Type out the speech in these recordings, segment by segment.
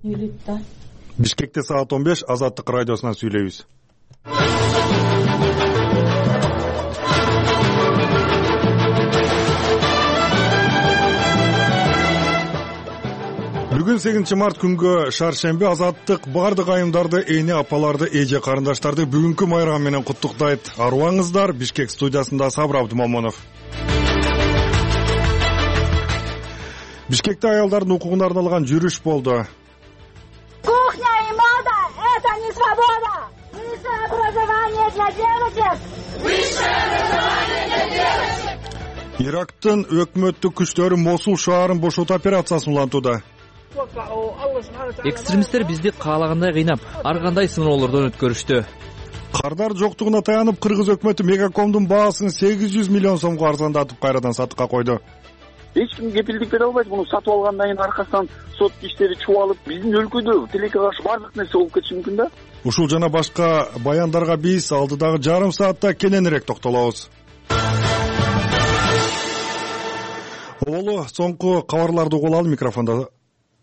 Бишкекте саат 15 Азаттык радиосунан сүйлөйбүз. Бүгүн 8 март күнгө шаршемби. Азаттык бардык айымдарды, эне апаларды, эже карындаштарды бүгүнкү майрам менен куттуктайт. Арыбаңыздар. Бишкек студиясында Сабыр Абдымомонов. Бишкекте аялдардын укугуна арналган жүрүш болду. Кухня и мода – это не свобода. Высшее образование для девочек. Высшее образование для девочек. Ирактын өкмөттүк күчтөрү Мосул шаарын бошотуу операциясын улантууда. Экстремисттер бизди каалагандай кыйнап, ар кандай сыноолордон өткөрүштү. Кардар жоктугуна таянып, Кыргыз өкмөтү Мегакомдун баасын 800 миллион сомго арзандатып кайрадан сатыкка койду. Эч ким кепилдик бере албайт. Муну сатып алгандан кийин аркасынан сот иштери чубалып, биздин өлкөдө тилекке каршы бардык нерсе болуп кетиши мүмкүн да. Ушул жана башка баяндарга биз алдыдагы жарым саатта кененирээк токтолобуз. Оболу соңку кабарларды угуп алалы. Микрофондо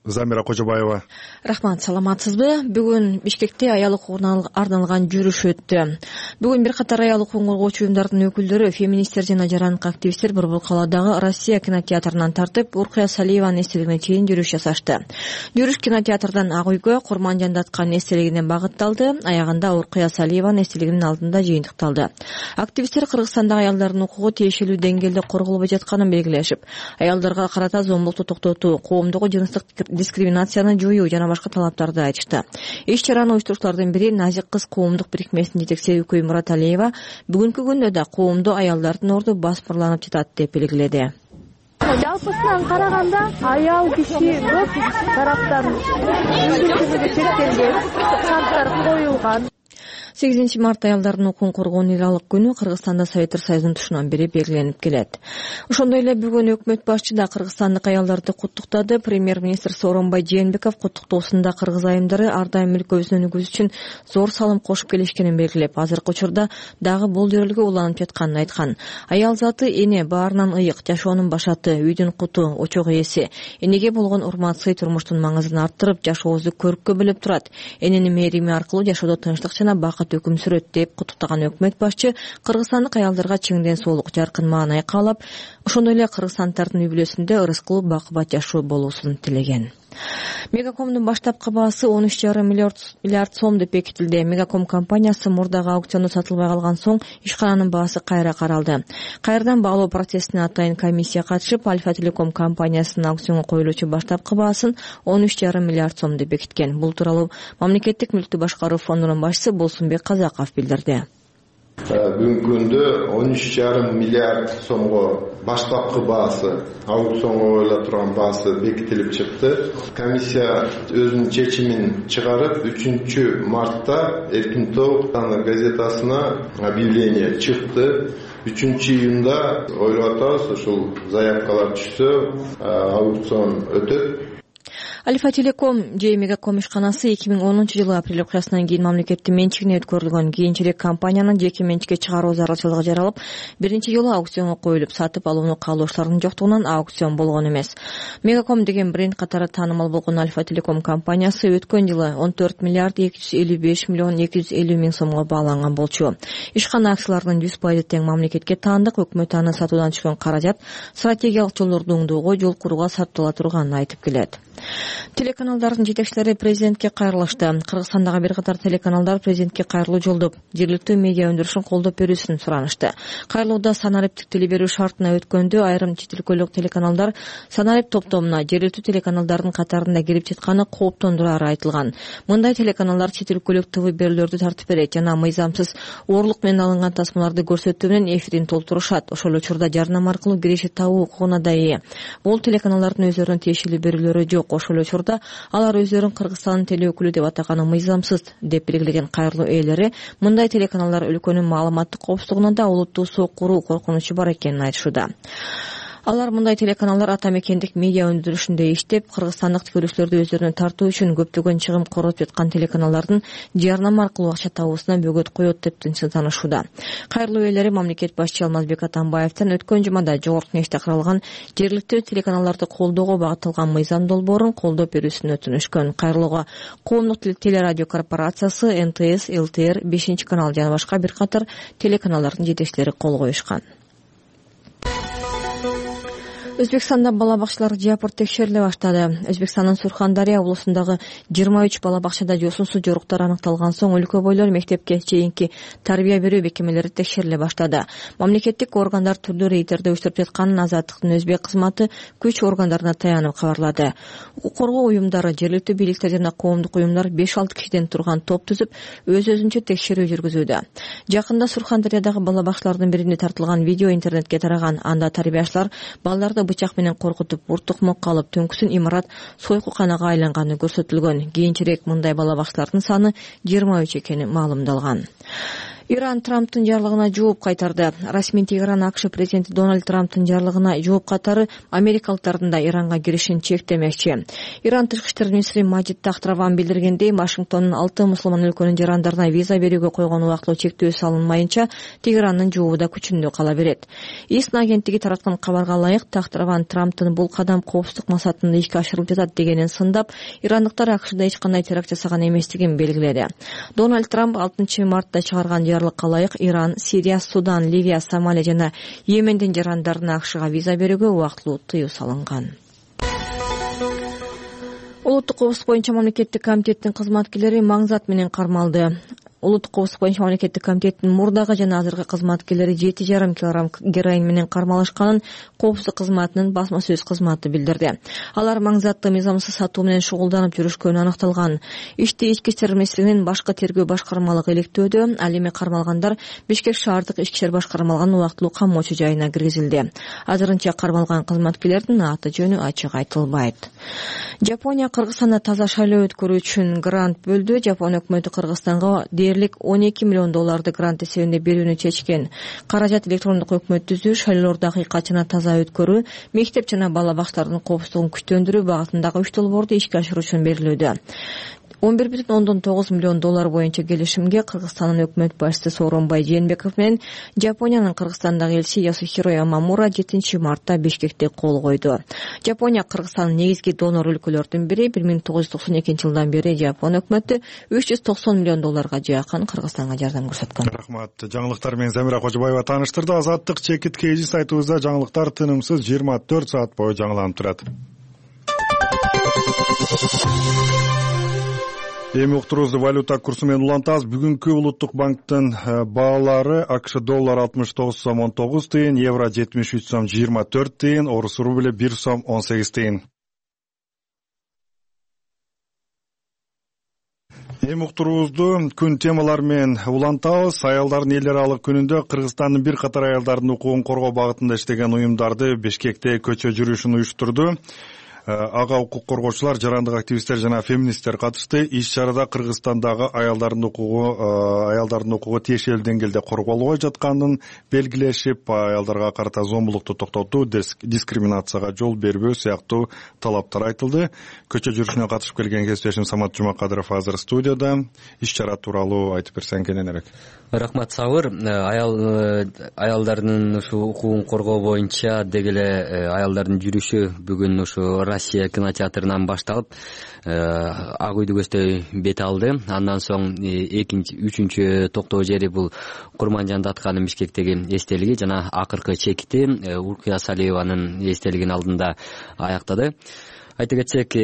Замира Кожобаева. Рахмат, саламатсызбы? Бүгүн Бишкекте аял укугуна арналган жүрүш өттү. Бүгүн бир катар аял укугун коргоочу уюмдардын өкүлдөрү, феминисттер жана жарандык активисттер Борбор калаадагы Россия кинотеатрынан тартып, Уркуя Салиеванын эстелигине чейин жүрүш жасашты. Жүрүш кинотеатрдан Ак үйгө, Курман Жандатканын эстелигине багытталды. Аягында Уркуя Салиеванын эстелигинин алдында жыйынтыкталды. Активисттер Кыргызстандагы аялдардын укугу тиешелүү деңгээлде корголбой жатканын белгилешип, аялдарга карата зомбулукту токтотуу, коомдогу жыныстык дискриминацияны жоюу жана башка талаптарды айтышты. Иш-чараны уюштуруучулардын бири Назик кыз коомдук бирикмесинин жетекчиси Үкөй Мураталиева бүгүнкү күндө да коомдо аялдардын орду баспырланып жатат деп белгиледи. Жалпысынан караганда аял киши көп тараптан мүмкүнчүлүгү чектелген, шарттар коюлган. 8 март аялдардын укугун коргоонун ыйралык күнү Кыргызстанда Советтер Союзунун тушунан бери белгиленип келет. Ошондой эле бүгүн өкмөт башчы да кыргызстандык аялдарды куттуктады. Премьер-министр Сооронбай Жээнбеков куттуктоосунда кыргыз айымдары ар дайым өлкөбүздүн өнүгүүсү үчүн зор салым кошуп келишкенин белгилеп, азыркы учурда дагы бул жөрөлгө уланып жатканын айткан. Аял заты эне баарынан ыйык, жашоонун башаты, үйдүн куту, очок ээси. Энеге болгон урмат, сый турмуштун маңызын арттырып, жашообузду көрккө бөлөп турат. Эненин мээрими аркылуу жашоодо тынчтык жана бакыт өкүм сүрөт деп куттуктаган өкмөт башчы кыргызстандык аялдарга чың ден соолук, жаркын маанай каалап, ошондой эле кыргызстанддардын үй бүлөсүндө ырыскылуу бакыбат жашоо болуусун тилеген. Мегакомдун баштапкы баасы 13,5 миллиард сом деп бекитилди. Мегаком компаниясы мурдагы аукциондо сатылбай калган соң ишкананын баасы кайра каралды. Кайрадан баалоо процессине атайын комиссия катышып, Альфа Телеком компаниясынын аукционго коюлуучу баштапкы баасын 13,5 миллиард сом деп бекиткен. Бул тууралуу Мамлекеттик мүлктү башкаруу фондунун башчысы Болсунбек Казаков билдирди. Бүгүнкү күндө 13,5 миллиард сомго баштапкы баасы, аукционго коюла турган баасы бекитилип чыкты. Комиссия өзүнүн чечимин чыгарып, 3 мартта Эркин Тоок газетасына объявление чыкты. 3-июнда ойлоп атабыз, ушул заявкалар түшсө, аукцион өтөт. Альфа Телеком же Мегаком ишканасы 2010-жылы апрель окуясынан кийин мамлекеттин менчигине өткөрүлгөн. Кийинчерээк компаниянын жеке менчикке чыгаруу зарылчылыгы жаралып, биринчи жолу аукционго коюлуп, сатып алууну каалоочулардын жоктугунан аукцион болгон эмес. Мегаком деген бренд катары таанымал болгон Альфа Телеком компаниясы өткөн жылы 14 миллиард 255 миллион 250 миң сомго бааланган болчу. Ишкана акцияларынын 100% тең мамлекетке таандык, өкмөт аны сатуудан түшкөн каражат стратегиялык жолдорду оңдоого, жол курууга сарптала турганын айтып келет. Телеканалдардын жетекчилери президентке кайрылышты. Кыргызстандагы бир катар телеканалдар президентке кайрылуу жолдоп, жергиликтүү медиа өндүрүшүн колдоп берүүсүн суранышты. Кайрылууда санариптик теле берүү шартына өткөндө айрым чет өлкөлүк телеканалдар санарип топтомуна жергиликтүү телеканалдардын катарында кирип жатканы кооптондурары айтылган. Мындай телеканалдар чет өлкөлүк ТВ берүүлөрдү тартып берет жана мыйзамсыз оорлук менен алынган тасмаларды көрсөтүү менен эфирин толтурушат. Ошол учурда жарнама аркылуу киреше табуу укугуна да ээ. Бул телеканалдардын өздөрүнүн тиешелүү берүүлөрү жок. Ошол учурда алар өздөрүн Кыргызстандын теле өкүлү деп атаганы мыйзамсыз деп белгилеген кайрылуу ээлери мындай телеканалдар өлкөнүн маалыматтык коопсуздугуна да олуттуу соо куруу коркунучу бар экенин айтышууда. Алар мындай телеканалдар ата мекендик медиа өндүрүшүндө иштеп, кыргызстандык көрүүчүлөрдү өздөрүнө тартуу үчүн көптөгөн чыгым коротуп жаткан телеканалдын жарнама аркылуу акча табуусуна бөгөт коет деп тынчсызданышууда. Кайрылуу ээлери мамлекет башчы Алмазбек Атамбаевдин өткөн жумада жогорку кеңеште каралган жергиликтүү телеканалдарды колдоого багытталган мыйзам долбоорун колдоп берүүсүн өтүнүшкөн. Кайрылууга Коомдук телерадио корпорациясы, НТС, ЛТР, 5-канал жана башка бир катар телеканалдардын жетекчилери кол коюшкан. Өзбекстанда бала бакчалар жапырт текшериле баштады. Өзбекстандын Сурхандария облусундагы 23 бала бакчада жосунсуз жоруктар аныкталган соң өлкө бойлор мектепке чейинки тарбия берүү мекемелери текшериле баштады. Мамлекеттик органдар түрдүү рейдтерди уюштуруп жатканын Азаттыктын өзбек кызматы күч органдарына таянып кабарлады. Укук коргоо уюмдары, жергиликтүү бийликтер жана коомдук уюмдар 5-6 кишиден турган топ түзүп, өз-өзүнчө текшерүү жүргүзүүдө. Жакында Сурхандариядагы бала бакчалардын биринде тартылган видео интернетке тараган. Анда тарбиячылар балдарды бычак менен коркутуп, буртукмокко алып, түнкүсүн имарат сойкуканага айланганы көрсөтүлгөн. Кийинчерээк мындай бала бакчалардын саны 23 экени маалымдалган. Иран Трамптын жарлыгына жооп кайтарды. Расмий Тегеран АКШ президенти Дональд Трамптын жарлыгына жооп катары америкалыктардын да Иранга киришин чектемекчи. Иран тышкы иштер министри Маджид Тахтраван билдиргендей, Вашингтондун 6 мусулман өлкөнүн жарандарына виза берүүгө койгон убактылуу чектөө салынмайынча Тегерандын жообу да күчүндө кала берет. ИСНА агенттиги тараткан кабарга ылайык, Тахтраван Трамптын бул кадам коопсуздук максатында ишке ашырылып жатат дегенин сындап, ирандыктар АКШда эч кандай теракт жасаган эместигин белгиледи. Дональд Трамп 6 мартта чыгарган калайык Иран, Сирия, Судан, Ливия, Сомалия жана Йемендин жарандарына АКШга виза берүүгө убактылуу тыюу салынган. Улуттук коопсуздук боюнча мамлекеттик комитеттин кызматкерлери маңзат менен кармалды. Улуттук коопсуздук боюнча мамлекеттик комитеттин мурдагы жана азыркы кызматкерлери 7,5 килограмм героин менен кармалышканын коопсуздук кызматынын басма сөз кызматы билдирди. Алар маңзатты мыйзамсыз сатуу менен шугулданып жүрүшкөнү аныкталган. Ишти Ички иштер министрлигинин башкы тергөө башкармалыгы иликтөөдө. Ал эми кармалгандар Бишкек шаардык ички иштер башкармалыгынын убактылуу камоочу жайына киргизилди. Азырынча кармалган кызматкерлердин аты жөнү ачык айтылбайт. Жапония Кыргызстанда таза шайлоо өткөрүү үчүн грант бөлдү. Жапония өкмөтү Кыргызстанга дээрлик $12 миллион грант эсебинде берүүнү чечкен. Каражат электрондук өкмөт түзүү, шайлоолорду акыйкат жана таза өткөрүү, мектеп жана бала бакчалардын коопсуздугун күчтөндүрүү багытындагы 3 долбоорду ишке ашыруу үчүн берилүүдө. $11,9 миллион боюнча келишимге Кыргызстандын өкмөт башчысы Сооронбай Жээнбеков менен Жапониянын Кыргызстандагы элчиси Ясухиро Ямамура 7 мартта Бишкекте кол койду. Жапония Кыргызстандын негизги донор өлкөлөрдүн бири. 1992-жылдан бери Жапон өкмөтү $390 миллион жакын Кыргызстанга жардам көрсөткөн. Рахмат. Жаңылыктар менен Замира Кожобаева тааныштырды. Азаттык чекит KG сайтыбызда жаңылыктар тынымсыз 24 саат бою жаңыланып турат. Эми уктуруубузду валюта курсу менен улантабыз. Бүгүнкү Улуттук банктын баалары: АКШ доллар 69 сом 19 тыйын, евро 73 сом 24 тыйын, орус рубль 1 сом 18 тыйын. Эми уктуруубузду күн темалары менен улантабыз. Аялдардын эл аралык күнүндө Кыргызстандын бир катар аялдардын укугун коргоо багытында иштеген уюмдарды Бишкекте көчө жүрүшүн уюштурду. Ага укук коргоочулар, жарандык активисттер жана феминисттер катышты. Иш-чарада Кыргызстандагы аялдардын укугу тиешелүү деңгээлде корголбой жатканын белгилешип, аялдарга карата зомбулукту токтотуу, дискриминацияга жол бербөө сыяктуу талаптар айтылды. Көчө жүрүшүнө катышып келген кесиптешим Самат Жумакадыров азыр студияда. Иш-чара тууралуу айтып берсең кененирээк. Рахмат Сабыр. Аялдардын ушу укугун коргоо боюнча деги эле аялдардын жүрүшү бүгүн ушу Россия кинотеатрынан башталып, Ак үйдү көздөй бет алды. Андан соң үчүнчү токтоо жери бул Курманжан Датканын Бишкектеги эстелиги жана акыркы чекити Уркия Салиеванын эстелигинин алдында аяктады. Айта кетсек,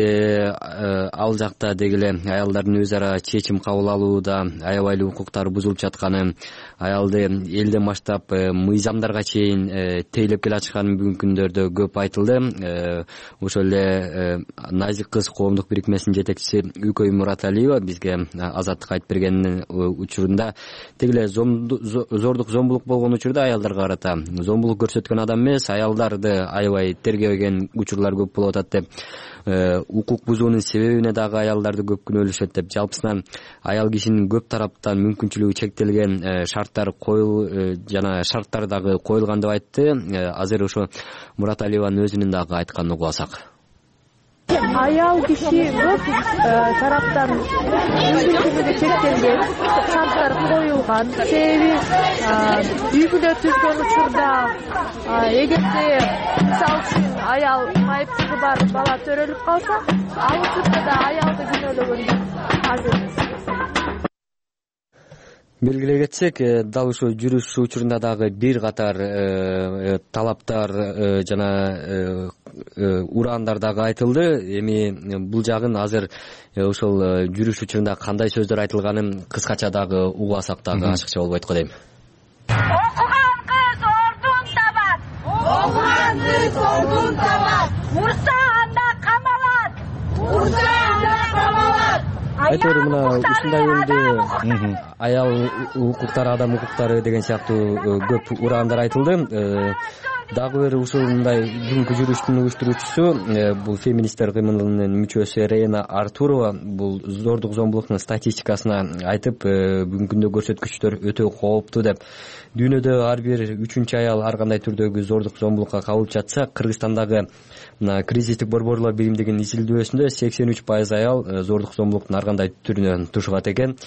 ал жакта деги эле аялдардын өз ара чечим кабыл алууда аябай укуктары бузулуп жатканы, аялды элден баштап мыйзамдарга чейин тейлеп келе жатканы бүгүнкү күндөрдө көп айтылды. Ошол эле Назик кыз коомдук бирикмесинин жетекчиси Үкөй Мураталиева бизге Азаттыкка айтып бергенин учурунда деги эле зордук зомбулук болгон учурда аялдарга карата зомбулук көрсөткөн адам эмес, аялдарды аябай тергебеген учурлар көп болуп атат деп укук бузуунун себебине дагы аялдарды көп күнөөлөшөт деп, жалпысынан аял кишинин көп тараптан мүмкүнчүлүгү чектелген шарттар жана шарттар дагы коюлган деп айтты. Азыр ошо Мураталиеванын өзүнүн дагы айтканын угуп алсак. Аял киши көп тараптан мүмкүнчүлүгү чектелген, шарттар коюлган. Себеби үй бүлө түзгөн учурда эгерде мисалы үчүн аял майыптыгы бар бала төрөлүп калса, ал учурда да аялды күнөөлөгөнгө азыр эмес. Белгилей кетсек, дал ушул жүрүш учурунда дагы бир катар талаптар жана ураандар дагы айтылды. Эми бул жагын азыр ошол жүрүш учурунда кандай сөздөр айтылганын кыскача дагы угуп алсак дагы ашыкча болбойт го дейм. Окуган кыз ордун табат. Окуган кыз ордун табат. Урса анда камалат. Урса анда камалат. Айтор мына ушундай жөнүндө аял укуктары, адам укуктары деген сыяктуу көп ураандар айтылды. Дагы бир ушундай бүгүнкү жүрүштүн уюштуруучусу бул феминисттер кыймылынын мүчөсү Рейна Артурова бул зордук зомбулуктун статистикасына айтып, бүгүнкү күндө көрсөткүчтөр өтө кооптуу деп. Дүйнөдө ар бир 3-чү аял ар кандай түрдөгү зордук зомбулукка кабылып жатса, Кыргызстандагы мына кризистик борборлор биримдигинин изилдөөсүндө 83% аял зордук зомбулуктун ар кандай түрүнөн тушугат экен.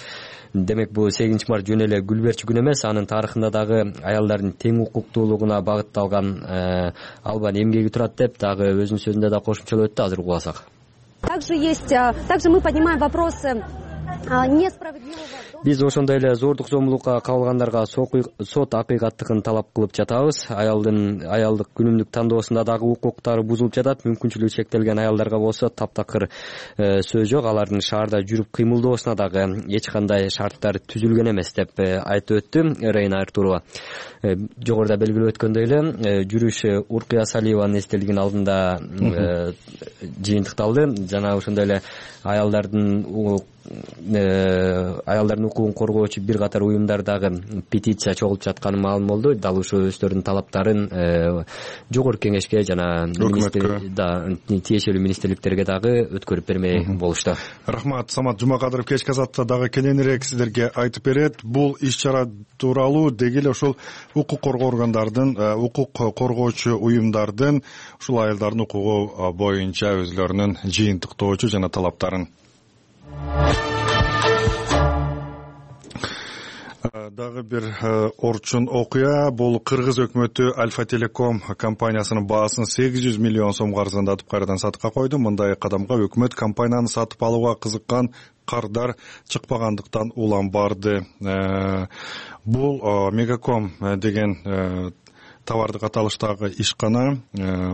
Демек бул 8 март жөн эле гүл берчү күн эмес, анын тарыхында дагы аялдардын тең укуктуулугуна багытталган албан эмгеги турат деп дагы өзүнүн сөзүндө да кошумчалап өттү. Азыр угуп алсак. Также мы поднимаем вопросы несправедливого. Биз ошондой эле зордук зомбулукка кабылгандарга сот акыйкаттыгын талап кылып жатабыз. Аялдык күнүмдүк тандоосунда дагы укуктары бузулуп жатат. Мүмкүнчүлүгү чектелген аялдарга болсо таптакыр сөз жок. Алардын шаарда жүрүп кыймылдоосуна дагы эч кандай шарттар түзүлгөн эмес деп айтып өттү Рейна Артурова. Жогоруда белгилеп өткөндөй эле жүрүш Уркуя Салиеванын эстелигинин алдында жыйынтыкталды. Жана ошондой эле аялдардын укугун коргоочу бир катар уюмдар дагы петиция чогултуп жатканы маалым болду. Дал ушул өздөрүнүн талаптарын жогорку кеңешке жана тиешелүү министрликтерге дагы өткөрүп бермей болушту. Рахмат. Самат Жумакадыров кечки азатта дагы кененирээк сиздерге айтып берет. Бул иш-чара тууралуу деги эле ушул укук коргоо органдардын, укук коргоочу уюмдардын ушул аялдардын укугу боюнча өзлөрүнүн жыйынтыктоочу жана талаптарын. Дагы бир орчун окуя. Бул Кыргыз өкмөтү Альфа Телеком компаниясынын баасын 800 миллион сомго арзандатып кайрадан сатыкка койду. Мындай кадамга өкмөт компаниянын сатып алууга кызыккан кардар чыкпагандыктан улам барды. Бул Мегаком деген товардык аталыштагы ишкана,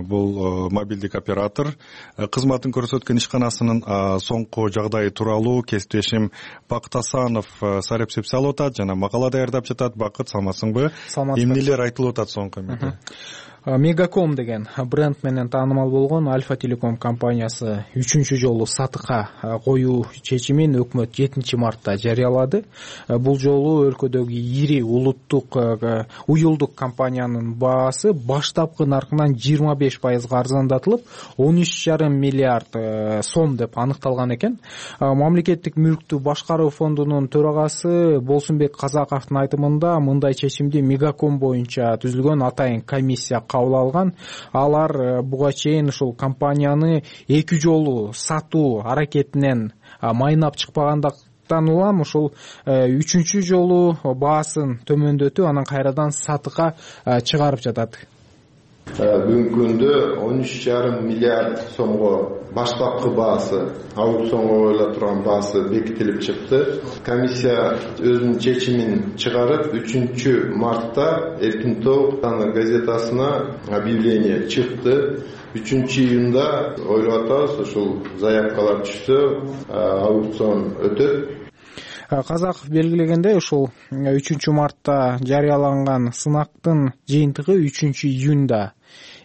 бул мобилдик оператор кызматын көрсөткөн ишканасынын соңку жагдайы тууралуу кесиптешим Бакыт Асанов сарепсеп салып атат жана макала даярдап жатат. Бакыт, саламатсыңбы? Эмнелер айтылып атат соңку эмнеде? Мегаком деген бренд менен таанымал болгон Альфа Телеком компаниясы 3-чү жолу сатыкка коюу чечимин өкмөт 7 мартта жарыялады. Бул жолу өлкөдөгү ири улуттук уюлдук компаниянын баасы баштапкы наркынан 25% арзандатылып, 13,5 миллиард сом деп аныкталган экен. Мамлекеттик мүлктү башкаруу фондунун төрагасы Болсунбек Казаковдун айтымында мындай чечимди Мегаком боюнча түзүлгөн атайын комиссия кабыл алган. Алар буга чейин ушул компанияны 2 жолу сатуу аракетинен майнап чыкпагандыктан улам ушул 3-чү жолу баасын төмөндөтүп, анан кайрадан сатыкка чыгарып жатат. Бүгүнкү күндө 13,5 миллиард сомго баштапкы баасы, аукционго коюла турган баасы бекитилип чыкты. Комиссия өзүнүн чечимин чыгарып, 3 мартта Эркин Топ газетасына объявление чыкты. 3-июнда ойлоп атабыз, ушул заявкалар түштү, аукцион өтөт. Казаков белгилегендей, ушул 3 мартта жарыяланган сынактын жыйынтыгы 3 июнда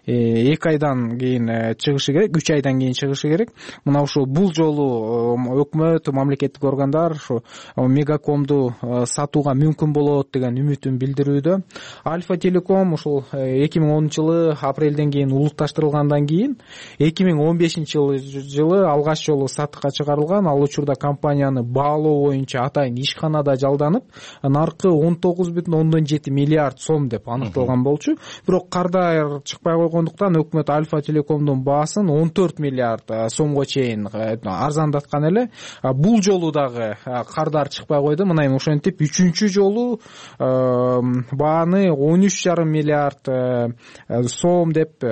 2 айдан кийин чыгышы керек, 3 айдан кийин чыгышы керек. Мына ушул бул жолу өкмөт, мамлекеттик органдар ушу Мегакомду сатууга мүмкүн болот деген үмүтүн билдирүүдө. Альфа Телеком ушул 2010-жылы апрелден кийин улутташтырылгандан кийин 2015-жылы алгач жолу сатыкка чыгарылган. Ал учурда компанияны баалоо боюнча атайын ишканада жалданып, наркы 19,7 миллиард сом деп аныкталган болчу. Бирок кардар чыкпай койгондуктан өкмөт Альфа Телекомдун баасын 14 миллиард сомго чейин арзандаткан эле. Бул жолу дагы кардар чыкпай койду. Мына эми ошентип 3-чү жолу бааны 13,5 миллиард сом деп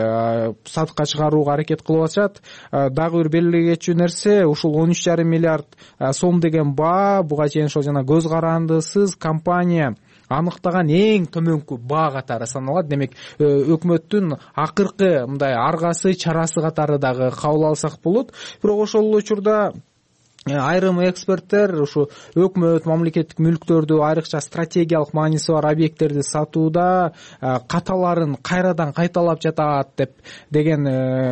сатыкка чыгарууга аракет кылып атышат. Дагы бир белгилей кетчү нерсе, ушул 13,5 миллиард сом деген баа буга чейин ошол жана көз карандысыз компания аныктаган эң төмөнкү баа катары саналат. Демек, өкмөттүн акыркы мындай аргасы, чарасы катары дагы кабыл алсак болот. Бирок ошол учурда айрым эксперттер ушу өкмөт мамлекеттик мүлктөрдү, айрыкча стратегиялык мааниси бар объекттерди сатууда каталарын кайрадан кайталап жатат деген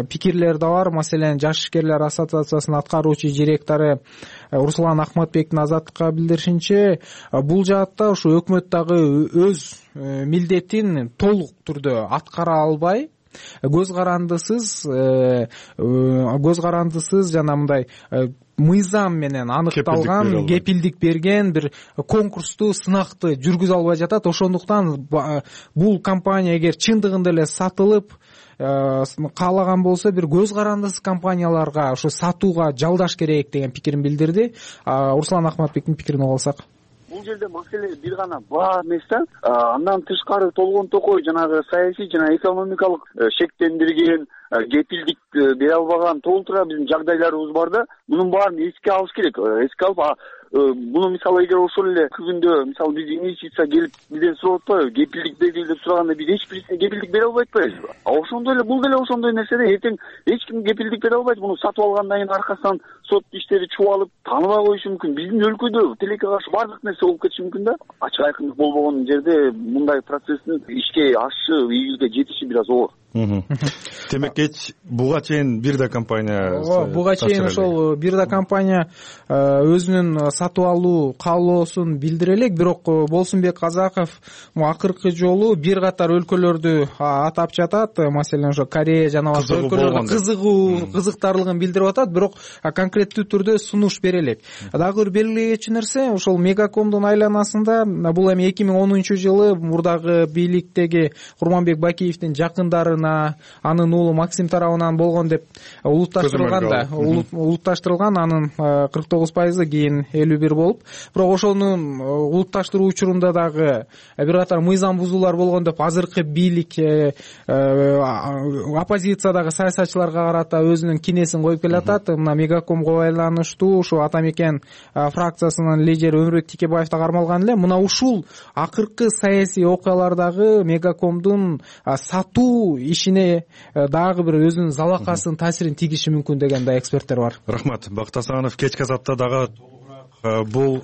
пикирлер да бар. Маселен, Жаш ишкерлер ассоциациясынын аткаруучу директору Руслан Ахматбектин Азаттыкка билдиришинче, бул жаатта ушу өкмөт дагы өз милдетин толук түрдө аткара албай, көз карандысыз жана мындай мыйзам менен аныкталган, кепилдик берген бир конкурсту, сынакты жүргүзө албай жатат. Ошондуктан бул компания эгер чындыгында эле сатылып каалаган болсо, бир көз карандысыз компанияларга ушу сатууга жалдаш керек деген пикирин билдирди. Руслан Ахматбектин пикирин угуп алсак. Бул жерде маселе бир гана баа эмес да, андан тышкары толгон токой жанагы саясий жана экономикалык шектендирген, кепилдик бере албаган толтура биздин жагдайларыбыз бар да. Мунун баарын эске алыш керек. Эске алып, буну мисалы эгер ошол эле күндө мисалы биз инвестиция келип бизден сурап атпайбы, кепилдик бергиле деп сураганда биз эч бирисине кепилдик бере албай атпайбызбы? Ошондой эле бул деле ошондой нерсе да. Эртең эч ким кепилдик бере албайт. Муну сатып алгандан кийин аркасынан сот иштери чубалып, тааныбай коюшу мүмкүн. Биздин өлкөдө тилекке каршы бардык нерсе болуп кетиши мүмкүн да. Ачык айкындык болбогон жерде мындай процесстин ишке ашышы, ийгиликке жетиши бир аз оор. Демек, буга чейин бир да компания буга чейин ошол бир да компания өзүнүн сатып алуу каалоосун билдире элек. Бирок Болсунбек Казаков акыркы жолу бир катар өлкөлөрдү атап жатат. Маселен, ошо Корея жана башка өлкөлөрдө кызыктарлыгын билдирип атат. Бирок конкреттүү түрдө сунуш бере элек. Дагы бир белгилей кетчү нерсе, ошол Мегакомдун айланасында бул эми 2010-жылы мурдагы бийликтеги Курманбек Бакиевдин жакындарына, анын уулу Максим тарабынан болгон деп улутташтырылган. Анын 49%, кийин 51 болуп. Бирок ошонун улутташтыруу учурунда дагы бир катар мыйзам бузуулар болгон деп азыркы бийлик оппозициядагы саясатчыларга карата өзүнүн кинесин коюп келатат. Мына Мегакомго байланыштуу ушу Ата Мекен фракциясынын лидери Өмүрбек Тикебаев да кармалган эле. Мына ушул акыркы саясий окуялардагы Мегакомдун сатуу ишине дагы бир өзүнүн залакасын, таасирин тийгизиши мүмкүн деген да эксперттер бар. Рахмат. Бакыт Асанов кечки азапта дагы бул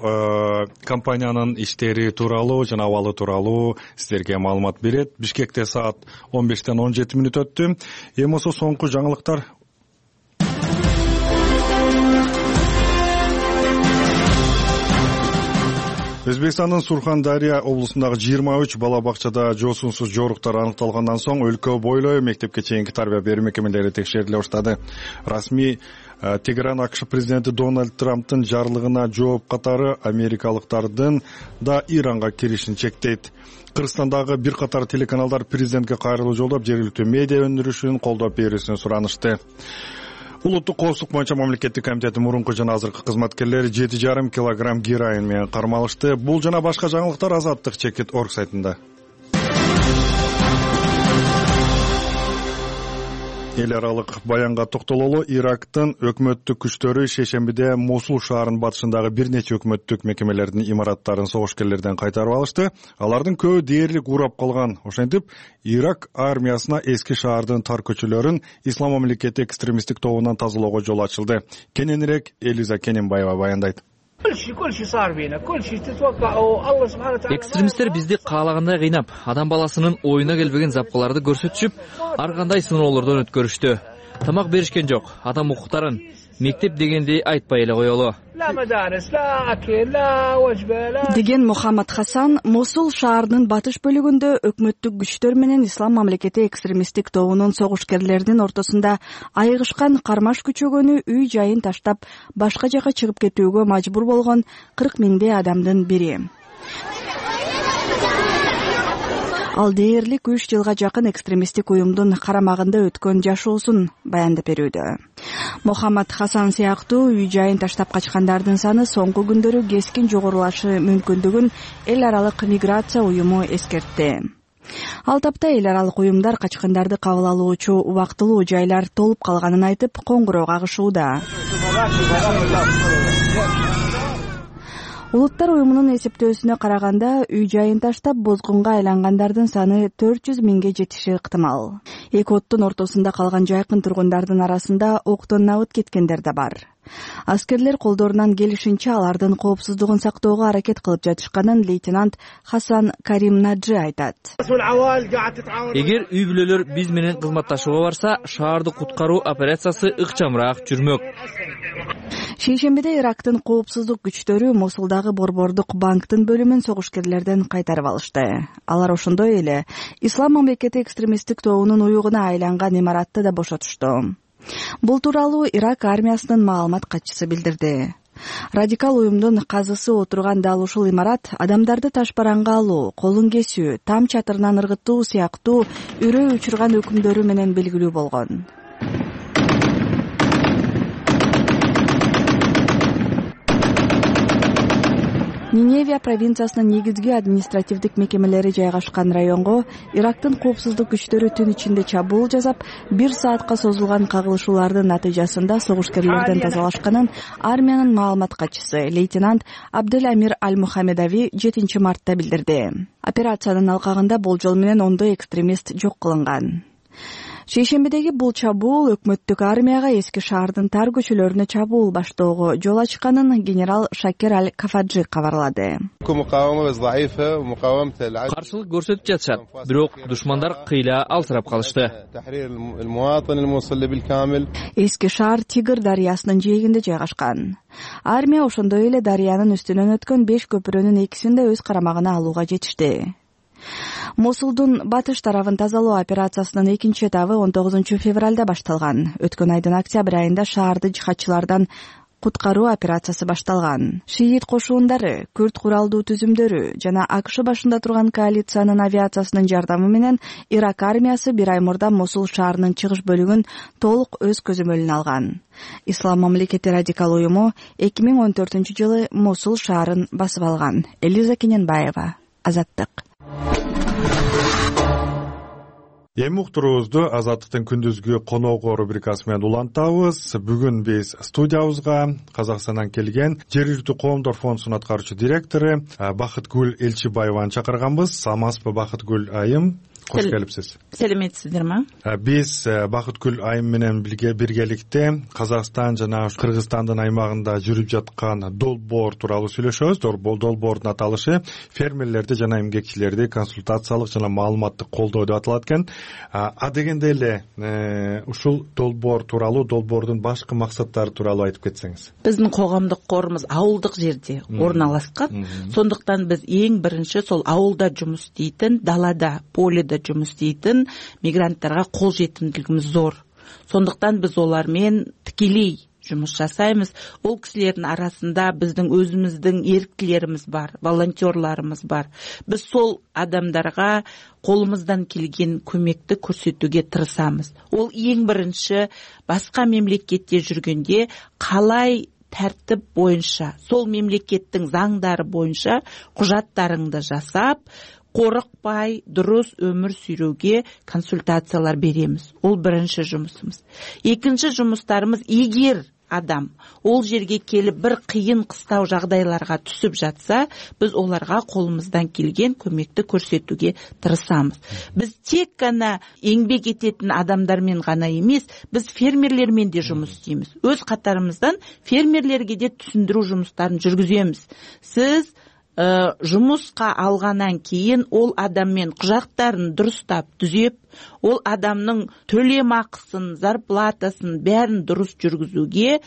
компаниянын иштери тууралуу жана абалы тууралуу сиздерге маалымат берет. Бишкекте саат 15-тен 17 мүнөт өттү. Эми болсо соңку жаңылыктар. Өзбекстандын Сурхан-Дария облусундагы 23 бала бакчада жоосунсуз жоруктар аныкталгандан соң өлкө бойлой мектепке чейинки тарбия берүү мекемелери текшериле баштады. Расмий Тегеран АКШ президенти Дональд Трамптын жарлыгына жооп катары америкалыктардын да Иранга киришин чектейт. Кыргызстандагы бир катар телеканалдар президентке кайрылуу жолдоп, жергиликтүү медиа өндүрүшүн колдоп берүүсүн суранышты. Улуттук коопсуздук боюнча мамлекеттик комитеттин мурунку жана азыркы кызматкерлери 7,5 килограмм героин менен кармалышты. Бул жана башка жаңылыктар Азаттык.org сайтында. Эл аралык баянга токтололу. Ирактын өкмөттүк күчтөрү шейшембиде Мосул шаарынын батышындагы бир нече өкмөттүк мекемелердин имараттарын согушкерлерден кайтарып алышты. Алардын көбү дээрлик урап калган. Ошентип, Ирак армиясына эски шаардын тар көчөлөрүн Ислам мамлекети экстремисттик тобунан тазалоого жол ачылды. Кененирээк Элиза Кененбаева баяндайт. Экстремисттер бизди каалагандай кыйнап, адам баласынын оюна келбеген запкаларды көрсөтүшүп, ар кандай сыноолордон өткөрүштү. Тамак беришкен жок, адам укуктарын, мектеп дегенди айтпай эле коелу деген Мухаммад Хасан Мосул шаарынын батыш бөлүгүндө өкмөттүк күчтөр менен Ислам мамлекети экстремисттик тобунун согушкерлеринин ортосунда айыгышкан кармаш күчөгөнү үй жайын таштап башка жака чыгып кетүүгө мажбур болгон 40 миңдей адамдын бири. Ал дээрлик 3 жылга жакын экстремисттик уюмдун карамагында өткөн жашоосун баяндап берүүдө. Мухаммад Хасан сыяктуу үй жайын таштап качкандардын саны соңку күндөрү кескин жогорулашы мүмкүндүгүн эл аралык миграция уюму эскертти. Ал тапта эл аралык уюмдар качкандарды кабыл алуучу убактылуу жайлар толуп калганын айтып, коңгуроо кагышууда. Улуттар уюмунун эсептөөсүнө караганда, үй жайын таштап бозгунга айлангандардын саны 400 миңге жетиши ыктымал. Эки оттун ортосунда калган жайкын тургундардын арасында октон набыт кеткендер да бар. Аскерлер колдорунан келишинче алардын коопсуздугун сактоого аракет кылып жатышканын лейтенант Хасан Карим Наджи айтат. Эгер үй бүлөлөр биз менен кызматташууга барса, шаарды куткаруу операциясы ыкчамыраак жүрмөк. Шейшембиде Ирактын коопсуздук күчтөрү Мосулдагы борбордук банктын бөлүмүн согушкерлерден кайтарып алышты. Алар ошондой эле Ислам мамлекети экстремисттик тобунун уюгуна айланган имаратты да бошотушту. Бул тууралуу Ирак армиясынын маалымат катчысы билдирди. Радикал уюмдун казысы отурган дал ушул имарат адамдарды ташбаранга алуу, колун кесүү, там чатырынан ыргытуу сыяктуу үрөй учурган өкүмдөрү менен белгилүү болгон. Ниневия провинциясынын негизги административдик мекемелери жайгашкан районго Ирактын коопсуздук күчтөрү түн ичинде чабуул жасап, 1 саатка созулган кагылышуулардын натыйжасында согушкерлерден тазалашканын армиянын маалымат катчысы лейтенант Абдель Амир Аль-Мухаммедави 7 мартта билдирди. Операциянын алкагында болжол менен ондой экстремист жок кылынган. Шейшембидеги бул чабуул өкмөттүк армияга эски шаардын тар көчөлөрүнө чабуул баштоого жол ачканын генерал Шакер Аль-Кафаджи кабарлады. Каршылык көрсөтүп жатышат, бирок душмандар кыйла алсырап калышты. Эски шаар Тигр дарыясынын жээгинде жайгашкан. Армия ошондой эле дарыянын үстүнөн өткөн 5 көпүрөнүн экисин да өз карамагына алууга жетишти. Мосулдун батыш тарабын тазалоо операциясынын экинчи этабы 19 февралда башталган. Өткөн айдын октябрь айында шаарды жихадчылардан куткаруу операциясы башталган. Шиит кошуундары, күрд куралдуу түзүмдөрү жана АКШ башында турган коалициянын авиациясынын жардамы менен Ирак армиясы 1 ай мурда Мосул шаарынын чыгыш бөлүгүн толук өз көзөмөлүнө алган. Ислам мамлекети радикал уюму 2014-жылы Мосул шаарын басып алган. Элиза Кененбаева, Азаттык. Эми уктуруубузду Азаттыктын күндүзгү коногу рубрикасы менен улантабыз. Бүгүн биз студиябызга Казакстандан келген Жергиликтүү коомдор фондунун аткаруучу директору Бакытгүл Элчибаеваны чакырганбыз. Саламатсызбы, Бакытгүл айым? Кош келипсиз. Саламатсыздарбы? Биз Бакытгүл айым менен биргеликте Казакстан жана Кыргызстандын аймагында жүрүп жаткан долбоор тууралуу сүйлөшөбүз. Долбоордун аталышы фермерлерди жана эмгекчилерди консультациялык жана маалыматтык колдоо деп аталат экен. Дегенде эле ушул долбоор тууралуу, долбоордун башкы максаттары тууралуу айтып кетсеңиз. Биздин коомдук корубуз ауылдык жерде орналашкан. Сондуктан биз эң биринчи сол ауылда жумуш иштейтин, далада, поледе жумуш иштейтин мигранттарга кол жетимдилигибиз зор. Сондуктан биз олар менен тикелей жумуш жасайбыз. Ол кишилердин арасында биздин өзүбүздүн эрктилерибиз бар, волонтерларыбыз бар. Биз сол адамдарга колумуздан келген көмөктү көрсөтүүгө тырышабыз. Ол эң биринчи башка мемлекетте жүргөндө калай тартип боюнча, сол мемлекеттин заңдары боюнча кужаттарыңды жасап, корукпай дурус өмүр сүрүүгө консультациялар беребиз. Ол биринчи жумусубуз. Экинчи жумустарыбыз, эгер адам ол жерге келип бир кыйын кыстау жагдайларга түшүп жатса, биз оларга колубуздан келген көмөктү көрсөтүүгө тырышабыз. Биз тек гана эмгек этетин адамдар менен гана эмес, биз фермерлер менен да жумуш истейбиз. Өз катарыбыздан фермерлерге де түшүндүрүү жумуштарын жүргүзөбүз. Сиз жумушка алгандан кийин ол адам менен кужактарын дурустап түзөп, ол адамдын төлөм акысын, зарплатасын баарын дурус жүргүзүүгө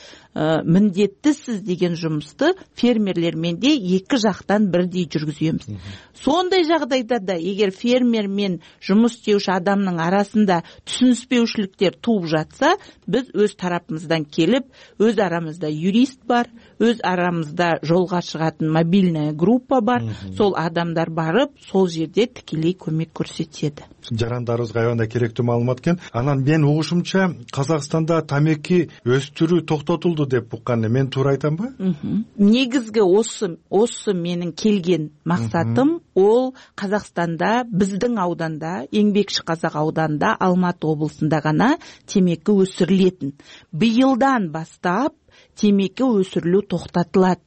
міндеттісіз деген жұмысты фермерлер менен де эки жактан бирдей жүргүзөбүз. Сондай жагдайда да эгер фермер мен жұмыс істеуші адамның арасында түшүнүшпөүчүлүктөр тууп жатса, биз өз тарапымыздан келип, өз арамызда юрист бар, өз арамызда жолга чыгатын мобильная группа бар. Сол адамдар барып, сол жерде тикелей көмөк көрсөтөт. Жарандарыбызга аябай керектүү маалымат экен. Анан мен угушумча Казакстанда тамеки өстүрүү токтотулду деп уккан. Мен туура айтамбы? Негизги осы менин келген максатым ол Казакстанда биздин ауданда, Эңбекши Казак ауданында, Алматы облусунда гана темеки өсүрүлөтүн. Быйылдан бастап темеки өсүрүлүү токтотулат.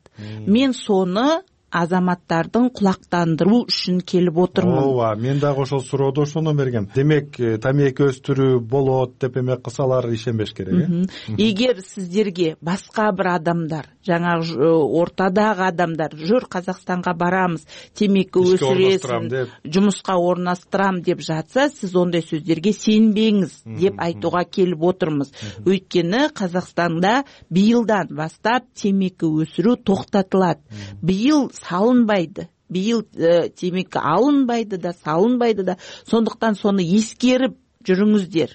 Мен соны азаматтардын кулактандыруу үчүн келип отурмун. Ооба, мен дагы ошол суроодо ошону бергем. Демек, тамеки өстүрүү болот деп эме кысалар ишенбеш керек, Эгер сиздерге башка бир адамдар, жаңагы ортадагы адамдар, жүр Казакстанга барамыз, темеки өсүрөсүн, жумушка орнаштырам деп жатса, сиз ондай сөздөргө сенбеңиз деп айтууга келип отурмуз. Өйткөнү Казакстанда быйылдан баштап темеки өсүрүү токтотулат. Быйыл салынбайды. Быйыл темеки алынбайды да, салынбайды да. Сондуктан сону эскерип жүрүңүздөр.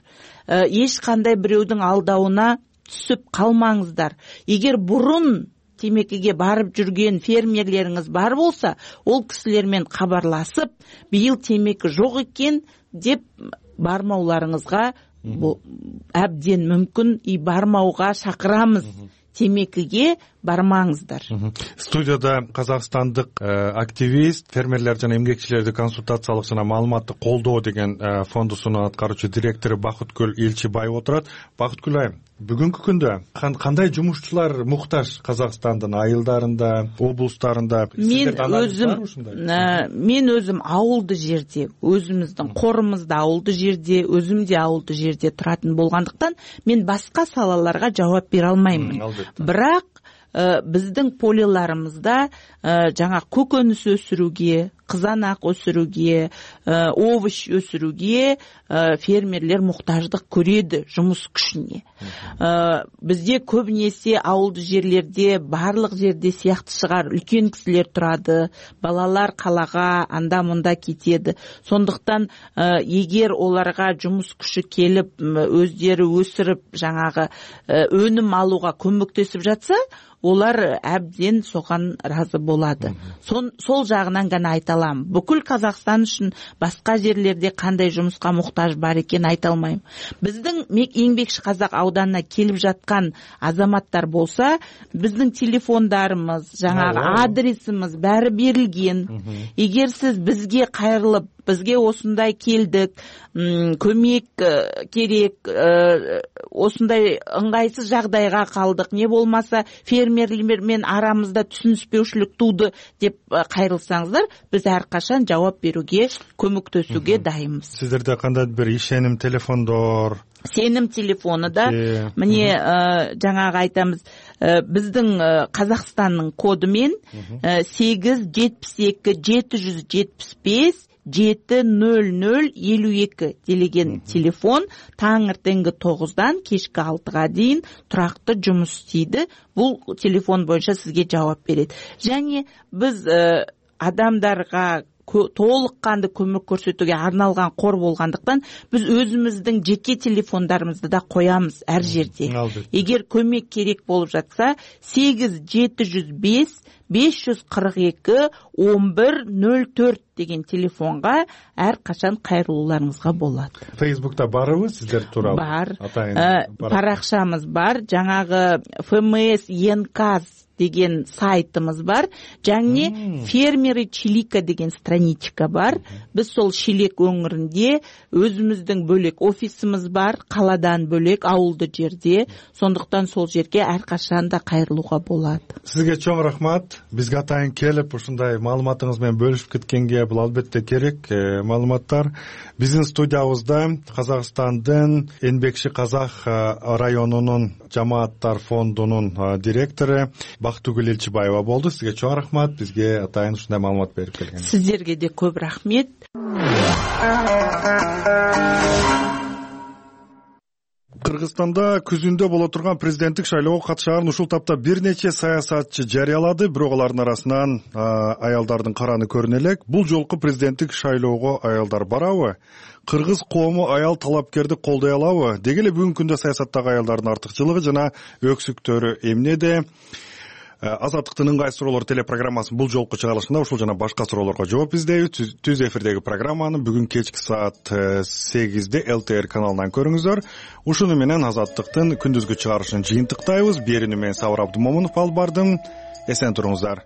Эч кандай бирөөдүн алдауына түсүп калмаңыздар. Эгер бурун темекиге барып жүрген фермерлериңиз бар болса, ол кисилер менен кабарласып, быйыл темеки жок экен деп бармауларыңызга абден мүмкүн, бармауга шакырамыз. Темекиге бармаңыздар. Студияда казакстандык активист, фермерлер жана эмгекчилерди консультациялык жана маалыматтык колдоо деген фондусунун аткаруучу директору Бакыткүл Элчибаева отурат. Бакыткүл айым, бүгүнкү күндө кандай жумушчулар муктаж Казакстандын айылдарында, облустарында? Мен өзүм ауылды жерде, өзүмүздүн корумузда ауылды жерде, өзүм де ауылды жерде туратын болгондуктан, мен башка салаларга жооп бере алмаймын. Бирок биздин полеларыбызда жаңа көкөнүс өсүрүүгө, кызанак өсүрүүгө, овощ өсүрүүгө фермерлер муктаждык көрөдү жумуш күчүнө. Бизде көбүнесе ауылды жерлерде, барлык жерде сыяктуу чыгар, үлкөн кисилер турады, балалар калага анда-мында кетеди. Сондуктан эгер оларга жумуш күчү келип, өздөрү өсүрүп, жаңагы өнүм алууга көмөктөсүп жатса, олар абден соган разы болады. Сол жагынан гана айта алам. Бүкүл Казакстан үчүн башка жерлерде кандай жумушка муктаж бар экен айта алмайм. Биздин Эңбекши Казак ауданына келип жаткан азаматтар болса, биздин телефондарыбыз, жаңагы адресimiz баары берилген. Эгер сиз бизге кайрылып, бизге осундай келдик, көмөк керек, осундай ыңгайсыз жагдайга калдык, не болмаса фермерлер менен арамызда түшүнүшпөүчүлүк тууду деп кайрылсаңыздар, биз ар качан жооп берүүгө, көмөктөшүүгө дайынбыз. Сиздерде кандай бир ишеним телефондор? Сеним телефону да, міне жаңағы айтамыз, біздің Қазақстанның коду мен 872-775-70052 делеген телефон таңертеңгі 9-дан кешкі 6-га дейін тұрақты жұмыс істейді. Бұл телефон бойынша сізге жауап береді. Және біз адамдарға толыққанды көмек көрсөтүүгө арналган кор болгондуктан биз өзүбүздүн жеке телефондарыбызды да коямыз ар жерде. Эгер көмөк керек болуп жатса 875-542-1104 деген телефонга ар качан кайрылууларыңызга болот. Facebook'та барбы сиздер тууралуу? Бар. Паракчамыз бар. Жаңагы ФМС Енказ деген сайтымыз бар. Жаңы фермеры Чилика деген страничка бар. Біз сол Шилек өңірінде өзіміздің бөлек офисimiz бар, қаладан бөлек ауылды жерде. Сондықтан сол жерге әрқашан да кайрылууга болот. Сизге чоң рахмат. Бизге атайын келип ушундай маалыматыңыз менен бөлүшүп кеткенге бул албетте керек маалыматтар. Биздин студиябызда Казакстандын Энбекши Казак районунун жамааттар фондунун директору Бактыгүл Элчибаева болду. Сизге чоң рахмат. Бизге атайын ушундай маалымат берип келгениңизге. Сиздерге де көп рахмет. Кыргызстанда күзүндө боло турган президенттик шайлоого катышаарын ушул тапта бир нече саясатчы жарыялады. Бирок алардын арасынан аялдардын караны көрүнө элек. Бул жолку президенттик шайлоого аялдар барабы? Кыргыз коому аял талапкерди колдой алабы? Деги эле бүгүнкү күндө саясаттагы аялдардын артыкчылыгы жана өксүктөрү эмнеде? Азаттыктын ыңгай суроолор телепрограммасынын бул жолку чыгарылышында ушул жана башка суроолорго жооп издейбиз. Түз эфирдеги программаны бүгүн кечки саат 8-де ЛТР каналынан көрүңүздөр. Ушуну менен Азаттыктын күндүзгү чыгарылышын жыйынтыктайбыз. Берүүнү мен Сабыр Абдымомунов алып бардым. Эсен туруңуздар.